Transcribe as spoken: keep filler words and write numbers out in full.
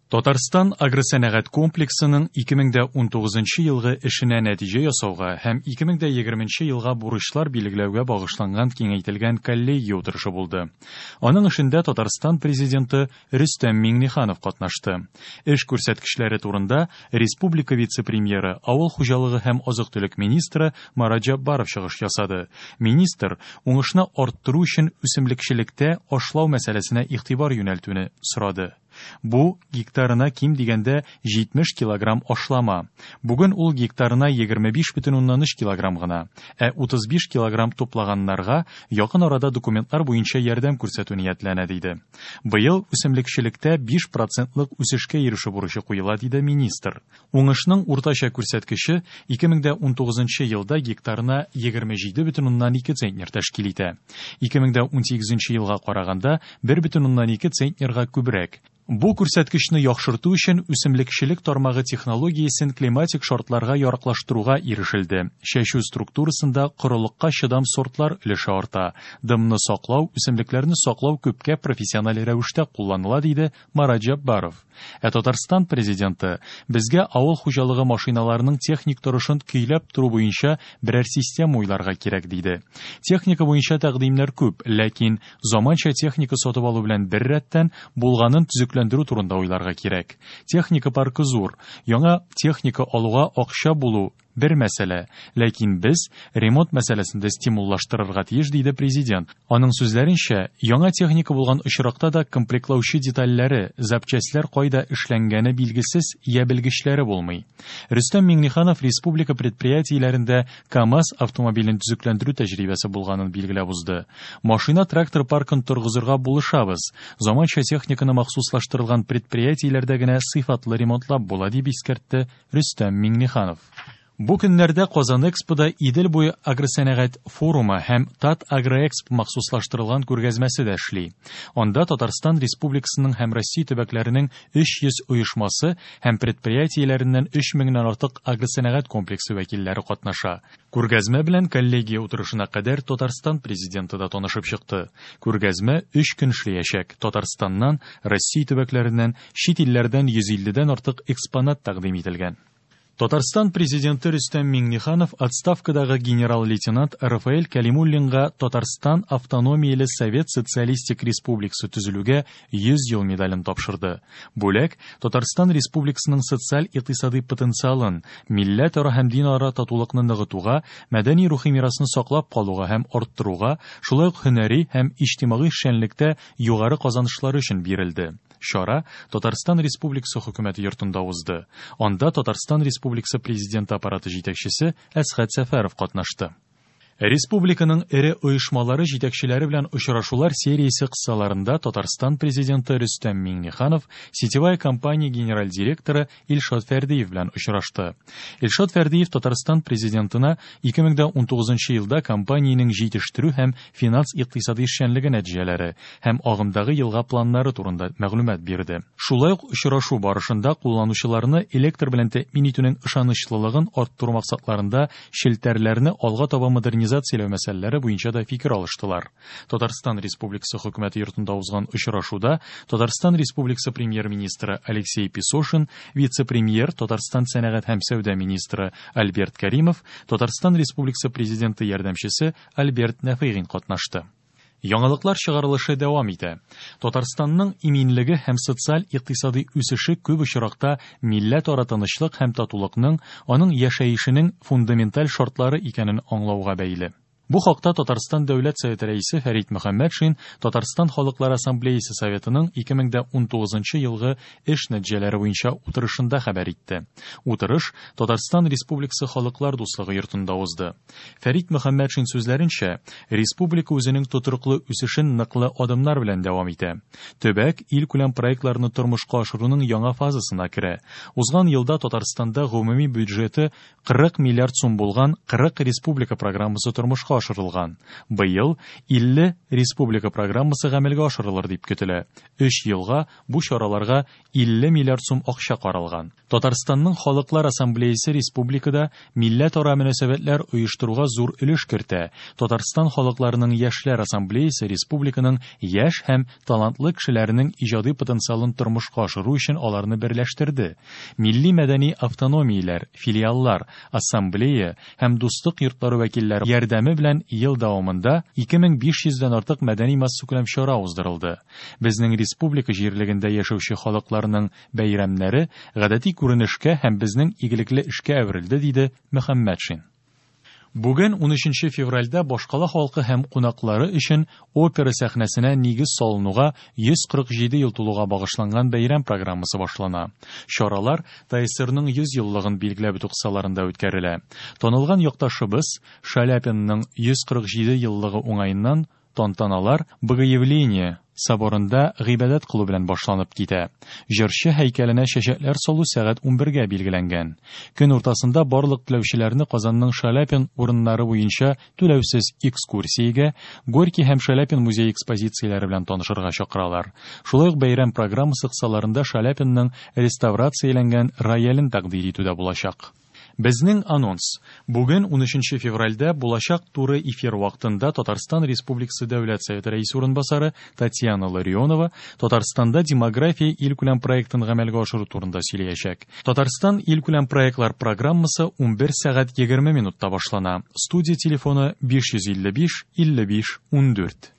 Татарстан агросәнәгать комплексының ике мең дә унтугызынчы елгы эшенә нәтиҗә ясауга һәм ике мең дә егерменче елга бурычлар билгеләүгә багышланган киңәйтелгән коллегия утырышы булды. Аның эшендә Татарстан президенты Рөстәм Миңнеханов катнашты. Эш күрсәткечләре турында республика вице-премьеры, авыл хуҗалыгы һәм азык-төлек министры Марат Җаббаров чыгыш ясады. Министр уңышны арттыру өчен үсемлекчелектә ашлау мәсьәләсенә игътибар юнәлтүне сорады. Бу гектарына ким дигәндә җитмеш килограмм ашлама. Бүген ул гектарына егерме биш бөтен уннан өч килограмм гына, ә утыз биш килограмм туплаганнарга якын арада документлар буенча ярдәм күрсәтү ниятләнә, диде. Быел үсемлекчелектә биш процентлык үсешкә ирешү бурычы куела, диде министр. Уңышның уртача күрсәткече ике мең дә унтугызынчы елда гектарына егерме җиде бөтен уннан ике центнер тәшкил итә. Ике мең дә унсигезенче елга караганда бер бөтен уннан ике центнерга күбрәк. Бу күрсәткечне яхшырту өчен үсемлекчелек тармагы технологиясен климатик шартларга яраклаштыруга ирешелде. Чәчү структурасында корылыкка чыдам сортлар өлеше арта. Дымны саклау, үсемлекләрне саклау күпкә профессиональ рәвештә кулланыла, диде Марат Җаббаров. Ә Татарстан президенты безгә авыл хуҗалыгы машиналарының техник торышын көйләп тору буенча берәр система уйларга кирәк, диде. Техника буенча тәкъдимнәр күп, ләкин заманча техника сатып алу белән бер рәттән булганын төзекләндерү турында уйларга кирәк. Техника паркы зур, яңа техника алуга акча булу бер мәсьәлә, ләкин без ремонт мәсьәләсен дә стимуллаштырырга тиеш, диде президент. Аның сүзләренчә, яңа техника булган очракта да комплектлаучы детальләре, запчастьләр кайда эшләнгәне билгесез, я белгечләре булмый. Рөстәм Миңнеханов республика предприятиеләрендә КАМАЗ автомобилен төзекләндерү тәҗрибәсе булганын билгеләп узды. Машина-трактор паркын торгызырга булышабыз. Заманча техниканы махсуслаштырылган предприятиеләрдә генә сыйфатлы ремонтлап була, дип искәртте Рөстәм Миңнеханов. Бу көннәрдә Казан Экспода Идел буе агросәнәгать форумы һәм Тат Агроэкспо махсуслаштырылган күргәзмәсе дә эшли. Анда Татарстан Республикасының һәм Россия төбәкләренең өч йөз оешмасы һәм предприятиеләреннән өч меңнән артык агросәнәгать комплексы вәкилләре катнаша. Күргәзмә белән коллегия утырышына кадәр Татарстан президенты да танышып чыкты. Күргәзмә өч көн эшләячәк. Татарстаннан, Россия төбәкләреннән, чит илләрдән йөз илледән артык экспонат тәкъдим ителгән. Татарстан президенты Рөстәм Миңнеханов отставкадагы генерал-лейтенант Рафаэль Калимуллинга Татарстан Автономияле Совет Социалистик Республикасы төзелүгә йөз ел медален тапшырды. Бүләк Татарстан Республикасының социаль-икътисади потенциалын, милләтара һәм динара татулыкны ныгытуга, мәдәни рухи мирасны саклап калуга һәм арттыруга, шулай ук һөнәри һәм иҗтимагый эшчәнлектә югары казанышлары өчен бирелде. Чара Татарстан Республикасы хөкүмәте йортында узды. Анда Татарстан Республикасы президенты аппараты җитәкчесе Әсхәт Сәфәров катнашты. Республиканың эре оешмалары җитәкчеләре белән очрашулар сериясе кысаларында Татарстан президенты Рөстәм Миңнеханов сетевая компания генераль директоры Илшат Фәрдиев белән очрашты. Илшат Фәрдиев Татарстан президентына ике мең дә унтугызынчы елда компаниянең җитештерү һәм финанс-икътисади эшчәнлеге нәтиҗәләре һәм агымдагы елга планнары турында мәгълүмат бирде. Шулай ук очрашу барышында кулланучыларны электр белән тәэмин итүнең ышанычлылыгын арттыру максатларында челтәрләрне алга таба модернизацияләү мәсьәләләре буенча да фикер алыштылар. Татарстан Республикасы хөкүмәте йортында узган очрашуда Татарстан Республикасы премьер-министры Алексей Песошин, вице-премьер Татарстан сәнәгать һәм сәүдә министры Альберт Каримов, Татарстан Республикасы президенты ярдәмчесе Альберт Нәфыйгин катнашты. Яңалыклар чыгарылышы дәвам итә. Татарстанның иминлеге һәм социаль-икътисади үсеше күп очракта милләтара тынычлык һәм татулыкның, аның яшәешенең фундаменталь шартлары икәнен аңлауга бәйле. Бу хакта Татарстан Дәүләт Советы рәисе Фәрит Мөхәммәтшин Татарстан Халыклар Ассамблеясы Советының ике мең дә унтугызынчы елгы эш нәтиҗәләре буенча утырышында хәбәр итте. Утырыш Татарстан Республикасы Халыклар Дуслыгы йортында узды. Фәрит Мөхәммәтшин сүзләренчә, республика үзенең тотрыклы үсешен ныклы адымнар белән дәвам итә. Төбәк илкүләм проектларны тормышка ашыруның яңа фазасына керә. Узган елда Татарстанда гомуми бюджеты кырык миллиард сум булган кырык республика программасы тормышка тормышка ашырылган. Быел илле республика программасы гамәлгә ашырылыр дип көтелә. Өч елга бу чараларга илле миллиард сум акча каралган. Татарстанның Халыклар Ассамблеясы республикада милләтара мөнәсәбәтләр оештыруга зур өлеш кертә. Татарстан халыкларының Яшьләр Ассамблеясы республиканың яшь һәм талантлы кешеләренең иҗади потенциалын тормышка ашыру өчен аларны берләштерде. Милли мәдәни автономияләр, филиаллар, ассамблея һәм дуслык йортлары вәкилләре ярдәме белән ел дәвамында ике мең биш йөздән артык мәдәни массакүләм чара уздырылды. Безнең республика җирлегендә яшәүче халыкларның бәйрәмнәре гадәти күренешкә һәм безнең игелекле эшкә әверелде, диде Мөхәммәтшин. Бүген унөченче февральдә башкала халкы һәм кунаклары өчен опера сәхнәсенә нигез салынуга йөз кырык җиде ел тулуга багышланган бәйрәм программасы башлана. Чаралар ТАССРның йөз еллыгын билгеләп үтү кысаларында үткәрелә. Танылган якташыбыз Шаляпинның йөз кырык җиде еллыгы уңаеннан тантаналар Богоявление соборында гыйбадәт кылу белән башланып китә. Җырчы һәйкәленә чәчәкләр салу сәгать унбергә билгеләнгән. Көн уртасында барлык теләүчеләрне Казанның Шаляпин урыннары буенча түләүсез экскурсиягә, Горький һәм Шаляпин музей экспозицияләре белән танышырга чакыралар. Шулай ук бәйрәм программасы кысаларында Шаляпинның реставрацияләнгән роялен тәкъдир итү дә булачак. Безнең анонс. Бүген унөченче февральдә булачак туры эфир вакытында Татарстан Республикасы Дәүләт Советы рәисе урынбасары Татьяна Ларионова Татарстанда демография илкүләм проектын гамәлгә ашыру турында сөйләячәк. Татарстан илкүләм проектлар программасы унбер сәгать егерме минутта башлана. Студия телефоны биш йөз илле биш, илле биш, ундүрт.